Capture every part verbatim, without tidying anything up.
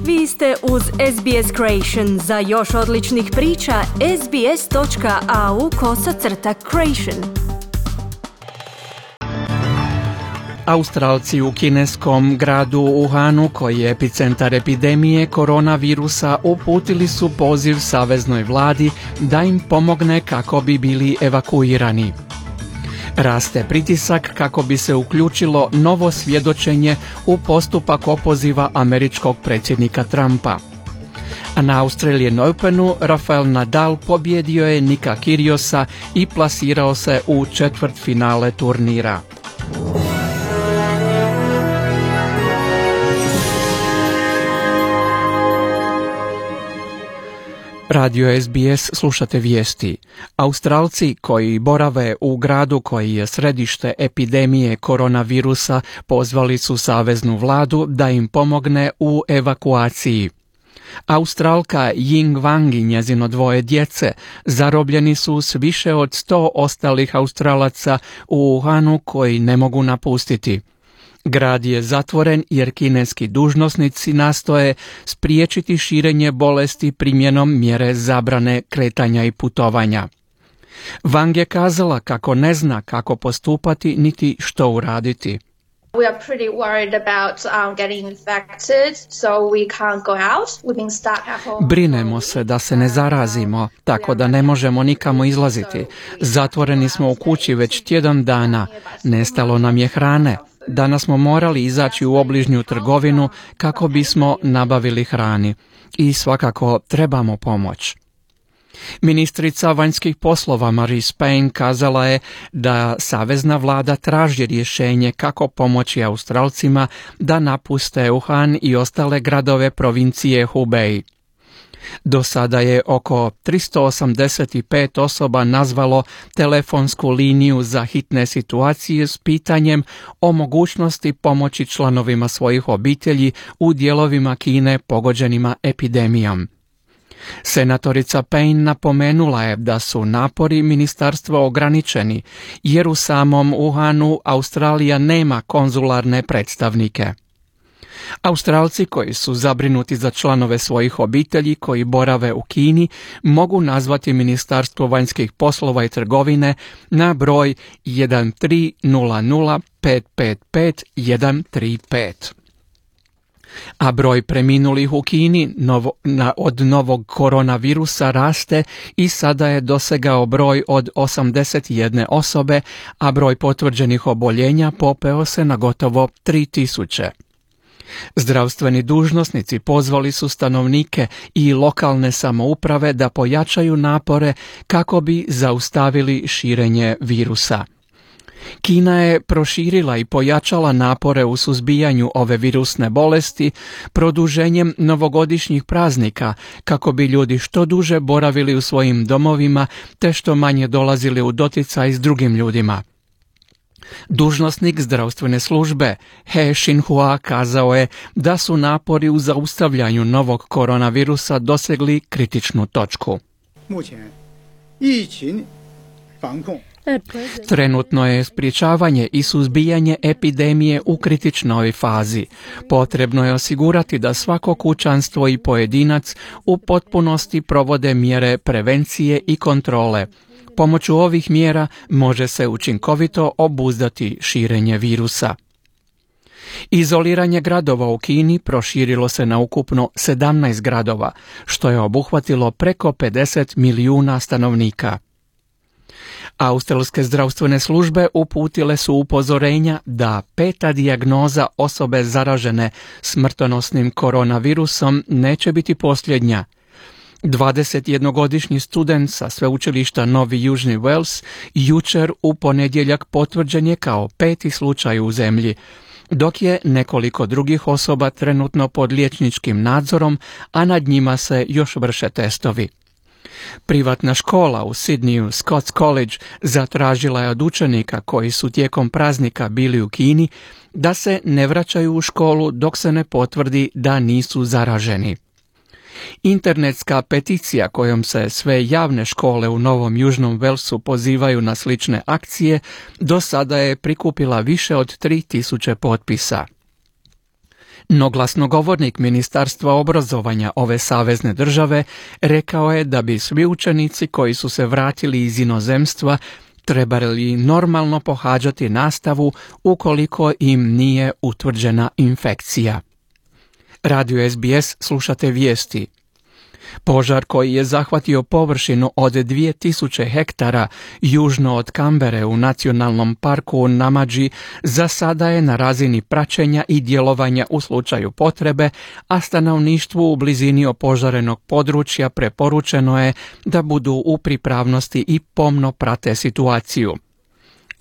Vi ste uz S B S Creation. Za još odličnih priča, sbs.au kosacrta creation. Australci u kineskom gradu Wuhanu, koji je epicentar epidemije koronavirusa, uputili su poziv saveznoj vladi da im pomogne kako bi bili evakuirani. Raste pritisak kako bi se uključilo novo svjedočenje u postupak opoziva američkog predsjednika Trumpa. A na Australian Openu Rafael Nadal pobjedio je Nika Kyrgiosa i plasirao se u četvrtfinale turnira. Radio S B S, slušate vijesti. Australci koji borave u gradu koji je središte epidemije koronavirusa pozvali su saveznu vladu da im pomogne u evakuaciji. Australka Ying Wang i njezino dvoje djece zarobljeni su s više od sto ostalih Australaca u Wuhanu koji ne mogu napustiti. Grad je zatvoren jer kineski dužnosnici nastoje spriječiti širenje bolesti primjenom mjere zabrane kretanja i putovanja. Wang je kazala kako ne zna kako postupati niti što uraditi. We are pretty worried about um, getting infected, so we can't go out. We've been stuck at home. Brinemo se da se ne zarazimo, tako da ne možemo nikamo izlaziti. Zatvoreni smo u kući već tjedan dana. Nestalo nam je hrane. Danas smo morali izaći u obližnju trgovinu kako bismo nabavili hrani. I svakako trebamo pomoć. Ministrica vanjskih poslova Marise Payne kazala je da savezna vlada traži rješenje kako pomoći Australcima da napuste Wuhan i ostale gradove provincije Hubei. Do sada je oko tristo osamdeset pet osoba nazvalo telefonsku liniju za hitne situacije s pitanjem o mogućnosti pomoći članovima svojih obitelji u dijelovima Kine pogođenima epidemijom. Senatorica Payne napomenula je da su napori ministarstva ograničeni, jer u samom Wuhanu Australija nema konzularne predstavnike. Australci koji su zabrinuti za članove svojih obitelji koji borave u Kini mogu nazvati Ministarstvo vanjskih poslova i trgovine na broj jedan tri nula nula pet pet pet jedan tri pet. A broj preminulih u Kini novo, na, od novog koronavirusa raste i sada je dosegao broj od osamdeset jedne osobe, a broj potvrđenih oboljenja popeo se na gotovo tri tisuće. Zdravstveni dužnosnici pozvali su stanovnike i lokalne samouprave da pojačaju napore kako bi zaustavili širenje virusa. Kina je proširila i pojačala napore u suzbijanju ove virusne bolesti produženjem novogodišnjih praznika kako bi ljudi što duže boravili u svojim domovima te što manje dolazili u doticaj s drugim ljudima. Dužnosnik zdravstvene službe He Xinhua kazao je da su napori u zaustavljanju novog koronavirusa dosegli kritičnu točku. Trenutno je sprječavanje i suzbijanje epidemije u kritičnoj fazi. Potrebno je osigurati da svako kućanstvo i pojedinac u potpunosti provode mjere prevencije i kontrole. Pomoću ovih mjera može se učinkovito obuzdati širenje virusa. Izoliranje gradova u Kini proširilo se na ukupno sedamnaest gradova, što je obuhvatilo preko pedeset milijuna stanovnika. Australske zdravstvene službe uputile su upozorenja da peta dijagnoza osobe zaražene smrtonosnim koronavirusom neće biti posljednja. dvadesetjednogodišnji student sa sveučilišta Novi Južni Wales jučer u ponedjeljak potvrđen je kao peti slučaj u zemlji, dok je nekoliko drugih osoba trenutno pod liječničkim nadzorom, a nad njima se još vrše testovi. Privatna škola u Sidneyu, Scots College, zatražila je od učenika koji su tijekom praznika bili u Kini da se ne vraćaju u školu dok se ne potvrdi da nisu zaraženi. Internetska peticija kojom se sve javne škole u Novom Južnom Walesu pozivaju na slične akcije do sada je prikupila više od tri tisuće potpisa. No glasnogovornik Ministarstva obrazovanja ove savezne države rekao je da bi svi učenici koji su se vratili iz inozemstva trebali normalno pohađati nastavu ukoliko im nije utvrđena infekcija. Radio S B S slušate vijesti. Požar koji je zahvatio površinu od dvije tisuće hektara južno od Kambere u nacionalnom parku Namadži za sada je na razini praćenja i djelovanja u slučaju potrebe, a stanovništvu u blizini opožarenog područja preporučeno je da budu u pripravnosti i pomno prate situaciju.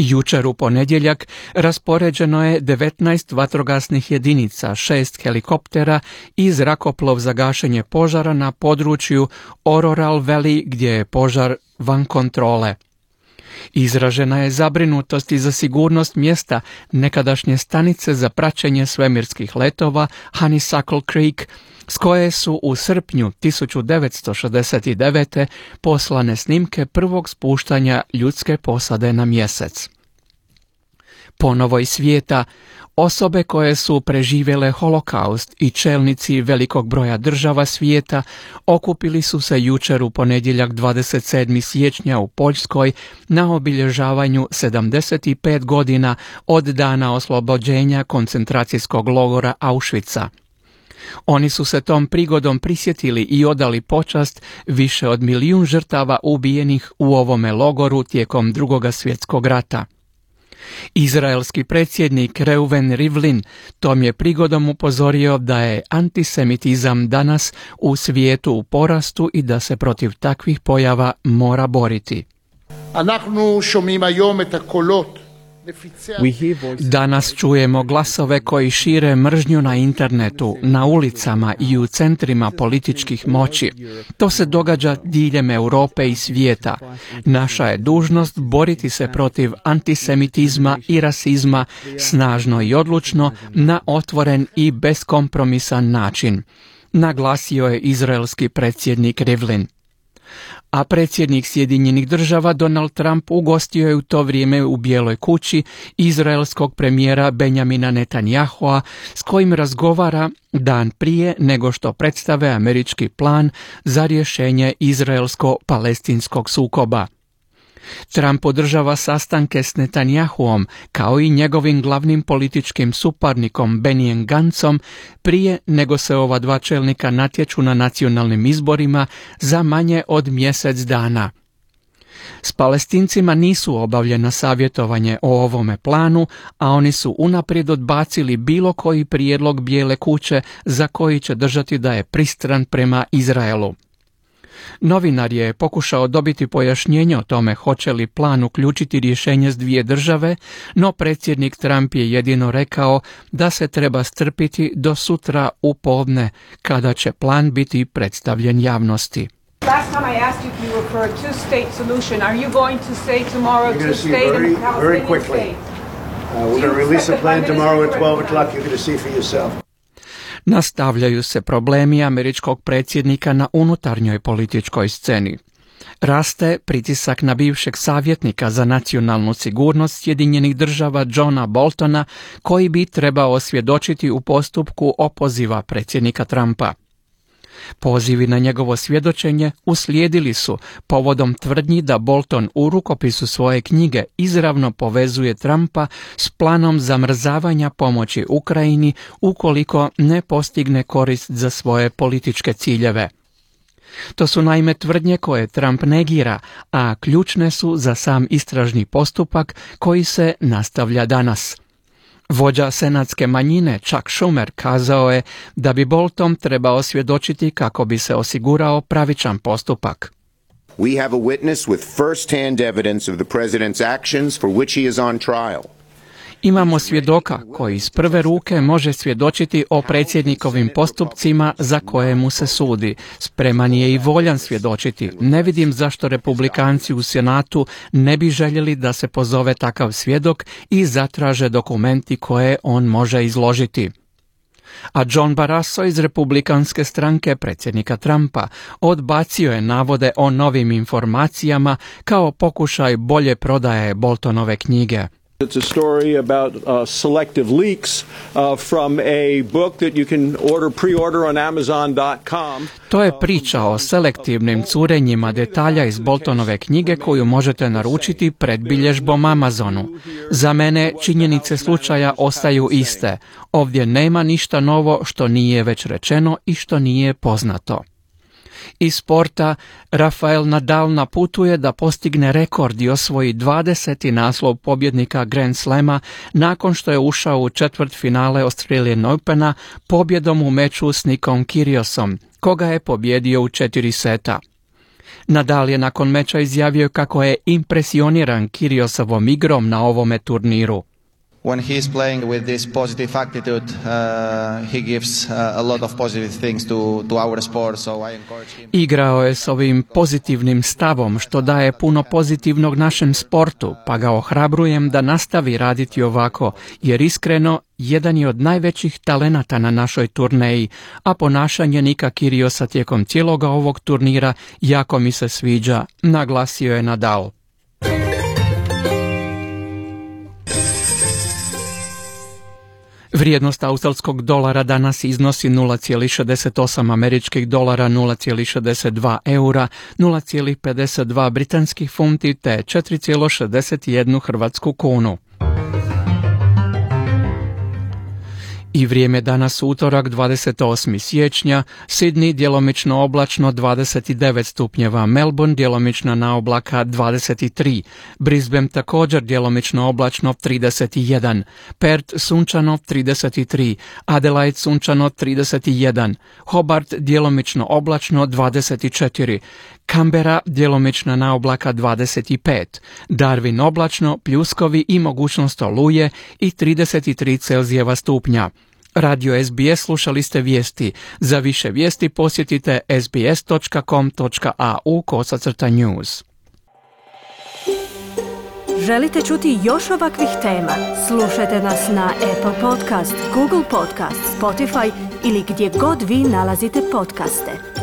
Jučer u ponedjeljak raspoređeno je devetnaest vatrogasnih jedinica, šest helikoptera i zrakoplov za gašenje požara na području Ororal Valley gdje je požar van kontrole. Izražena je zabrinutost i za sigurnost mjesta nekadašnje stanice za praćenje svemirskih letova Honeysuckle Creek, s koje su u srpnju tisuću devetsto šezdeset devete. poslane snimke prvog spuštanja ljudske posade na mjesec. Ponovo iz svijeta, osobe koje su preživjele holokaust i čelnici velikog broja država svijeta okupili su se jučer u ponedjeljak dvadeset sedmog siječnja u Poljskoj na obilježavanju sedamdeset pet godina od dana oslobođenja koncentracijskog logora Auschwitza. Oni su se tom prigodom prisjetili i odali počast više od milijun žrtava ubijenih u ovome logoru tijekom Drugog svjetskog rata. Izraelski predsjednik Reuven Rivlin tom je prigodom upozorio da je antisemitizam danas u svijetu u porastu i da se protiv takvih pojava mora boriti. Danas čujemo glasove koji šire mržnju na internetu, na ulicama i u centrima političkih moći. To se događa diljem Europe i svijeta. Naša je dužnost boriti se protiv antisemitizma i rasizma snažno i odlučno na otvoren i beskompromisan način, naglasio je izraelski predsjednik Rivlin. A predsjednik Sjedinjenih država Donald Trump ugostio je u to vrijeme u Bijeloj kući izraelskog premijera Benjamina Netanyahua s kojim razgovara dan prije nego što predstave američki plan za rješenje izraelsko-palestinskog sukoba. Trump održava sastanke s Netanjahuom kao i njegovim glavnim političkim suparnikom Benijem Gancom prije nego se ova dva čelnika natječu na nacionalnim izborima za manje od mjesec dana. S Palestincima nisu obavljena savjetovanje o ovome planu, a oni su unaprijed odbacili bilo koji prijedlog Bijele kuće za koji će držati da je pristran prema Izraelu. Novinar je pokušao dobiti pojašnjenje o tome hoće li plan uključiti rješenje s dvije države, no predsjednik Trump je jedino rekao da se treba strpiti do sutra u podne, kada će plan biti predstavljen javnosti. Last time I asked you if you were for a two-state solution. Are you going to say tomorrow two state and a Palestinian state? Uh, we're going to release a plan tomorrow at twelve o'clock. You're going to see for yourself. Nastavljaju se problemi američkog predsjednika na unutarnjoj političkoj sceni. Raste pritisak na bivšeg savjetnika za nacionalnu sigurnost Sjedinjenih država Johna Boltona, koji bi trebao svjedočiti u postupku opoziva predsjednika Trumpa. Pozivi na njegovo svjedočenje uslijedili su povodom tvrdnji da Bolton u rukopisu svoje knjige izravno povezuje Trumpa s planom zamrzavanja pomoći Ukrajini ukoliko ne postigne korist za svoje političke ciljeve. To su naime tvrdnje koje Trump negira, a ključne su za sam istražni postupak koji se nastavlja danas. Vođa senatske manjine Chuck Schumer kazao je da bi Bolton trebao svjedočiti kako bi se osigurao pravičan postupak. We have a witness with first-hand evidence of the president's actions for which he is on trial. Imamo svjedoka koji iz prve ruke može svjedočiti o predsjednikovim postupcima za koje mu se sudi. Spreman je i voljan svjedočiti. Ne vidim zašto republikanci u Senatu ne bi željeli da se pozove takav svjedok i zatraže dokumenti koje on može izložiti. A John Barrasso iz republikanske stranke predsjednika Trumpa odbacio je navode o novim informacijama kao pokušaj bolje prodaje Boltonove knjige. It's a story about uh, selective leaks uh, from a book that you can order pre-order on amazon dot com. To je priča o selektivnim curenjima detalja iz Boltonove knjige koju možete naručiti pred bilježbom Amazonu. Za mene činjenice slučaja ostaju iste. Ovdje nema ništa novo što nije već rečeno i što nije poznato. Iz sporta, Rafael Nadal na putu je da postigne rekord i osvoji dvadeseti naslov pobjednika Grand Slama nakon što je ušao u četvrtfinale Australian Opena pobjedom u meču s Nikom Kyriosom, koga je pobjedio u četiri seta. Nadal je nakon meča izjavio kako je impresioniran Kyriosovom igrom na ovome turniru. When he is playing with this positive attitude, uh, he gives uh, a lot of positive things to, to our sport, so I encourage him. Igrao je s ovim pozitivnim stavom što daje puno pozitivnog našem sportu, pa ga ohrabrujem da nastavi raditi ovako, jer iskreno jedan je od najvećih talenata na našoj turneji, a ponašanje Nika Kyriosa tijekom cijeloga ovog turnira jako mi se sviđa, naglasio je Nadal. Vrijednost australskog dolara danas iznosi nula zarez šezdeset osam američkih dolara, nula zarez šezdeset dva eura, nula zarez pedeset dva britanskih funti te četiri zarez šezdeset jedan hrvatsku kunu. I vrijeme danas utorak dvadeset osmi siječnja, Sydney djelomično oblačno dvadeset devet stupnjeva, Melbourne djelomično na oblaka dvadeset tri, Brisbane također djelomično oblačno trideset jedan, Perth sunčano trideset tri, Adelaide sunčano trideset jedan, Hobart djelomično oblačno dvadeset četiri, Canberra djelomično na oblaka dvadeset pet, Darwin oblačno, pljuskovi i mogućnost oluje i trideset tri Celzijeva stupnja. Radio S B S slušali ste vijesti. Za više vijesti posjetite sbs dot com dot a u kosacrta news. Želite čuti još ovakvih tema? Slušajte nas na Apple Podcast, Google Podcast, Spotify ili gdje god vi nalazite podcaste.